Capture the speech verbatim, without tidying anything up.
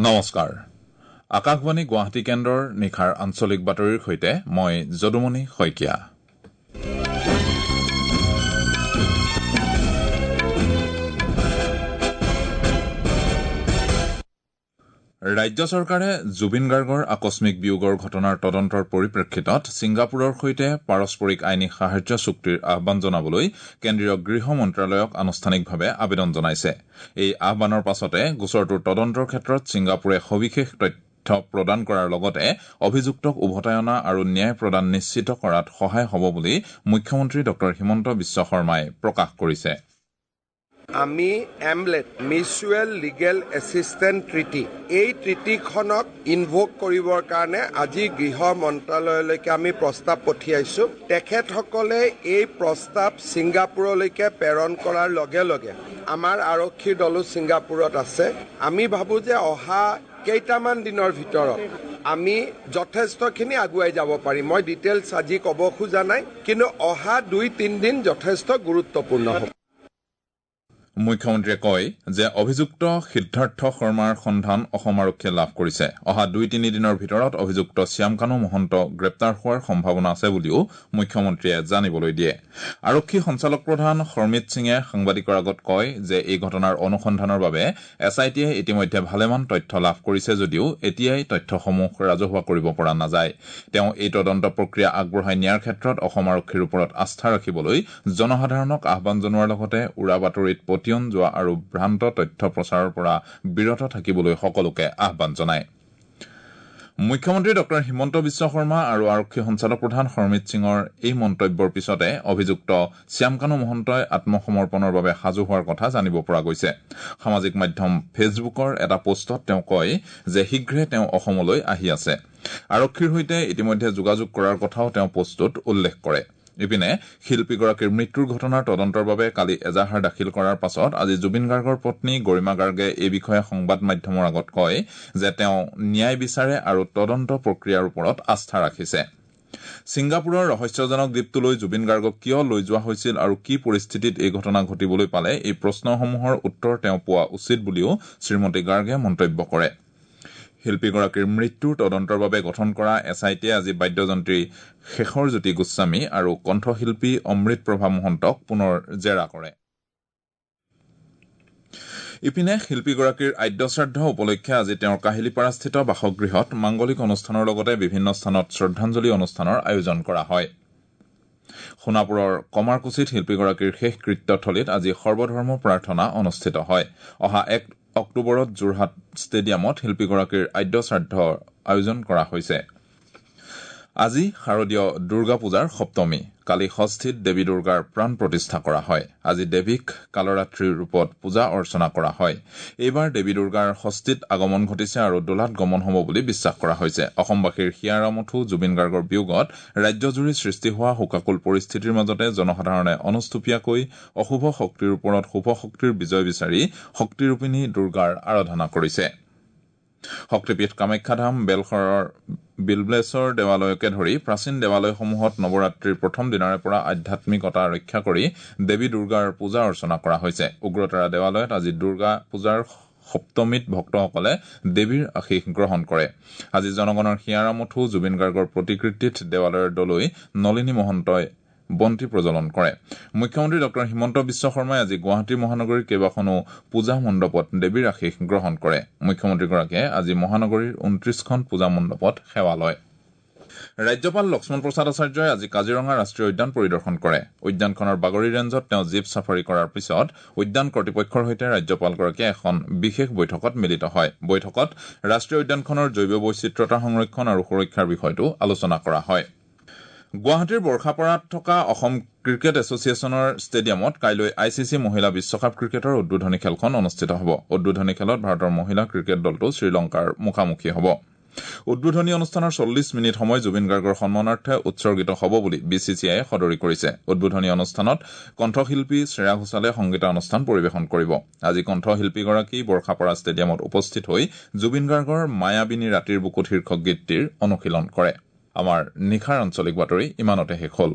নমস্কাৰ, আকাশবাণী গুৱাহাটী কেন্দ্ৰৰ নিশাৰ আঞ্চলিক বাতৰিৰ সৈতে মই যদুমণি শইকীয়া। ৰাজ্য চৰকাৰে জুবিন গাৰ্গৰ আকস্মিক বিয়োগৰ ঘটনাৰ তদন্তৰ পৰিপ্ৰেক্ষিতত ছিংগাপুৰৰ সৈতে পাৰস্পৰিক আইনী সাহায্য চুক্তিৰ আহ্বান জনাবলৈ কেন্দ্ৰীয় গৃহ মন্ত্ৰালয়ক আনুষ্ঠানিকভাৱে আবেদন জনাইছে। এই আহ্বানৰ পাছতে গোচৰটোৰ তদন্তৰ ক্ষেত্ৰত ছিংগাপুৰে সবিশেষ তথ্য প্ৰদান কৰাৰ লগতে অভিযুক্তক উভতাই অনা আৰু ন্যায় প্ৰদান নিশ্চিত কৰাত সহায় হ'ব বুলি মুখ্যমন্ত্ৰী ডঃ হিমন্ত বিশ্ব শৰ্মাই প্ৰকাশ কৰিছে। আমি AMLAT mutual legal assistance treaty, এই ট্ৰিটিখনক ইনভোক কৰিবৰ কাৰণে আজি গৃহ মন্ত্ৰালয়লৈকে আমি প্ৰস্তাৱ পঠিয়াইছোঁ। তেখেতসকলে এই প্ৰস্তাৱ ছিংগাপুৰলৈকে প্ৰেৰণ কৰাৰ লগে লগে আমাৰ আৰক্ষীৰ দলো ছিংগাপুৰত আছে। আমি ভাবোঁ যে অহা কেইটামান দিনৰ ভিতৰত আমি যথেষ্টখিনি আগুৱাই যাব পাৰিম। মই ডিটেইলছ আজি ক'ব খোজা নাই, কিন্তু অহা দুই তিনিদিন যথেষ্ট গুৰুত্বপূৰ্ণ হ'ব। মুখ্যমন্ত্ৰীয়ে কয় যে অভিযুক্ত সিদ্ধাৰ্থ শৰ্মাৰ সন্ধান অসম আৰক্ষীয়ে লাভ কৰিছে। অহা দুই তিনিদিনৰ ভিতৰত অভিযুক্ত শ্যামকানু মহন্ত গ্ৰেপ্তাৰ হোৱাৰ সম্ভাৱনা আছে বুলিও মুখ্যমন্ত্ৰীয়ে জানিবলৈ দিয়ে। আৰক্ষী সঞ্চালক প্ৰধান হৰমিত সিঙে সাংবাদিকৰ আগত কয় যে এই ঘটনাৰ অনুসন্ধানৰ বাবে এছ I টিয়ে ইতিমধ্যে ভালেমান তথ্য লাভ কৰিছে যদিও এতিয়াই তথ্যসমূহ ৰাজহুৱা কৰিব পৰা নাযায়। তেওঁ এই তদন্ত প্ৰক্ৰিয়া আগবঢ়াই নিয়াৰ ক্ষেত্ৰত অসম আৰক্ষীৰ ওপৰত আস্থা ৰাখিবলৈ জনসাধাৰণক আহ্বান জনোৱাৰ লগতে উৰা বাতৰিত পতিয়ন যোৱা আৰু ভ্ৰান্ত তথ্য প্ৰচাৰৰ পৰা বিৰত থাকিবলৈ সকলোকে আহ্বান জনায়। মুখ্যমন্ত্ৰী ডঃ হিমন্ত বিশ্ব শৰ্মা আৰু আৰক্ষী সঞ্চালক প্ৰধান হৰমিত সিঙৰ এই মন্তব্যৰ পিছতে অভিযুক্ত শ্যামকানু মহন্তই আত্মসমৰ্পণৰ বাবে সাজু হোৱাৰ কথা জানিব পৰা গৈছে। সামাজিক মাধ্যম ফেচবুকৰ এটা পোষ্টত তেওঁ কয় যে শীঘ্ৰে তেওঁ অসমলৈ আহি আছে। আৰক্ষীৰ সৈতে ইতিমধ্যে যোগাযোগ কৰাৰ কথাও তেওঁ পোষ্টটোত উল্লেখ কৰে। ইপিনে শিল্পীগৰাকীৰ মৃত্যুৰ ঘটনাৰ তদন্তৰ বাবে কালি এজাহাৰ দাখিল কৰাৰ পাছত আজি জুবিন গাৰ্গৰ পত্নী গৰিমা গাৰ্গে এই বিষয়ে সংবাদ মাধ্যমৰ আগত কয় যে তেওঁ ন্যায় বিচাৰে আৰু তদন্ত প্ৰক্ৰিয়াৰ ওপৰত আস্থা ৰাখিছে। ছিংগাপুৰৰ ৰহস্যজনক দ্বীপটোলৈ জুবিন গাৰ্গক কিয় লৈ যোৱা হৈছিল আৰু কি পৰিস্থিতিত এই ঘটনা ঘটিবলৈ পালে, এই প্ৰশ্নসমূহৰ উত্তৰ তেওঁ পোৱা উচিত বুলিও শ্ৰীমতী গাৰ্গে মন্তব্য কৰে। শিল্পীগৰাকীৰ মৃত্যুৰ তদন্তৰ বাবে গঠন কৰা এছ I টিয়ে আজি বাদ্যযন্ত্ৰী শেখৰজ্যোতি গোস্বামী আৰু কণ্ঠশিল্পী অমৃত প্ৰভা মহন্তক পুনৰ জেৰা কৰে। ইপিনে শিল্পীগৰাকীৰ আদ্যশ্ৰাদ্ধ উপলক্ষে আজি তেওঁৰ কাহিলীপাৰাস্থিত বাসগৃহত মাংগলিক অনুষ্ঠানৰ লগতে বিভিন্ন স্থানত শ্ৰদ্ধাঞ্জলি অনুষ্ঠানৰ আয়োজন কৰা হয়। সোণাপুৰৰ কমাৰকুছিত শিল্পীগৰাকীৰ শেষকৃত্যথলীত আজি সৰ্বধৰ্ম প্ৰাৰ্থনা অনুষ্ঠিত হয়। অহা এক অক্টোবৰত যোৰহাট ষ্টেডিয়ামত শিল্পীগৰাকীৰ আদ্যশ্ৰাদ্ধৰ আয়োজন কৰা হৈছে। আজি শাৰদীয় দুৰ্গা পূজাৰ সপ্তমী। কালি ষষ্ঠীত দেৱী দুৰ্গাৰ প্ৰাণ প্ৰতিষ্ঠা কৰা হয়। আজি দেৱীক কালৰাত্ৰিৰ ৰূপত পূজা অৰ্চনা কৰা হয়। এইবাৰ দেৱী দুৰ্গাৰ ষষ্ঠীত আগমন ঘটিছে আৰু দোলাত গমন হ'ব বুলি বিশ্বাস কৰা হৈছে। অসমবাসীৰ হিয়াৰ জুবিন গাৰ্গৰ বিয়োগত ৰাজ্যজুৰি সৃষ্টি হোৱা শোকাকুল পৰিস্থিতিৰ মাজতে জনসাধাৰণে অনুষ্টুপীয়াকৈ অশুভ শক্তিৰ ওপৰত শুভ শক্তিৰ বিজয় বিচাৰি শক্তিৰূপিণী দুৰ্গাৰ আৰাধনা কৰিছে। শক্তিপীঠ কামাখ্যাধাম, বেলশৰৰ বিলবেশ্বৰ দেৱালয়কে ধৰি প্ৰাচীন দেৱালয়সমূহত নৱৰাত্ৰিৰ প্ৰথম দিনাৰে পৰা আধ্যাত্মিকতা ৰক্ষা কৰি দেৱী দুৰ্গাৰ পূজা অৰ্চনা কৰা হৈছে। উগ্ৰতাৰা দেৱালয়ত আজি দুৰ্গা পূজাৰ সপ্তমীত ভক্তসকলে দেৱীৰ আশীষ গ্ৰহণ কৰে। আজি জনগণৰ হিয়াৰ জুবিন গাৰ্গৰ প্ৰতিকৃতিত দেৱালয়ৰ দলৈ নলিনী মহন্তই বন্তি প্ৰজ্বলন কৰে। মুখ্যমন্ত্ৰী ডঃ হিমন্ত বিশ্ব শৰ্মাই আজি গুৱাহাটী মহানগৰীৰ কেইবাখনো পূজা মণ্ডপত দেৱীৰ আশীষ গ্ৰহণ কৰে। মুখ্যমন্ত্ৰীগৰাকীয়ে আজি মহানগৰীৰ ঊনত্ৰিশখন পূজা মণ্ডপত সেৱা লয়। ৰাজ্যপাল লক্ষ্মণ প্ৰসাদ আচাৰ্যই আজি কাজিৰঙা ৰাষ্ট্ৰীয় উদ্যান পৰিদৰ্শন কৰে। উদ্যানখনৰ বাগৰি ৰেঞ্জত তেওঁ জীপ চাফাৰী কৰাৰ পিছত উদ্যান কৰ্তৃপক্ষৰ সৈতে ৰাজ্যপালগৰাকীয়ে এখন বিশেষ বৈঠকত মিলিত হয়। বৈঠকত ৰাষ্ট্ৰীয় উদ্যানখনৰ জৈৱ বৈচিত্ৰতা সংৰক্ষণ আৰু সুৰক্ষাৰ বিষয়টো আলোচনা কৰা হয়। গুৱাহাটীৰ বৰ্ষাপাৰাত থকা অসম ক্ৰিকেট এছ'চিয়েশ্যনৰ ষ্টেডিয়ামত কাইলৈ I C C মহিলা বিশ্বকাপ ক্ৰিকেটৰ উদ্বোধনী খেলখন অনুষ্ঠিত হ'ব। উদ্বোধনী খেলত ভাৰতৰ মহিলা ক্ৰিকেট দলটো শ্ৰীলংকাৰ মুখামুখি হ'ব। উদ্বোধনী অনুষ্ঠানৰ চল্লিছ মিনিট সময় জুবিন গাৰ্গৰ সন্মানাৰ্থে উৎসৰ্গিত হ'ব বুলি বি চি চি আইয়ে সদৰি কৰিছে। উদ্বোধনী অনুষ্ঠানত কণ্ঠশিল্পী শ্ৰেয়া ঘোষালে সংগীতানুষ্ঠান পৰিৱেশন কৰিব। আজি কণ্ঠশিল্পীগৰাকী বৰ্ষাপাৰা ষ্টেডিয়ামত উপস্থিত হৈ জুবিন গাৰ্গৰ মায়াবিনী ৰাতিৰ বুকুত শীৰ্ষক গীতটিৰ অনুশীলন কৰে। আমাৰ নিশাৰ আঞ্চলিক বাতৰি ইমানতে শেষ হ'ল।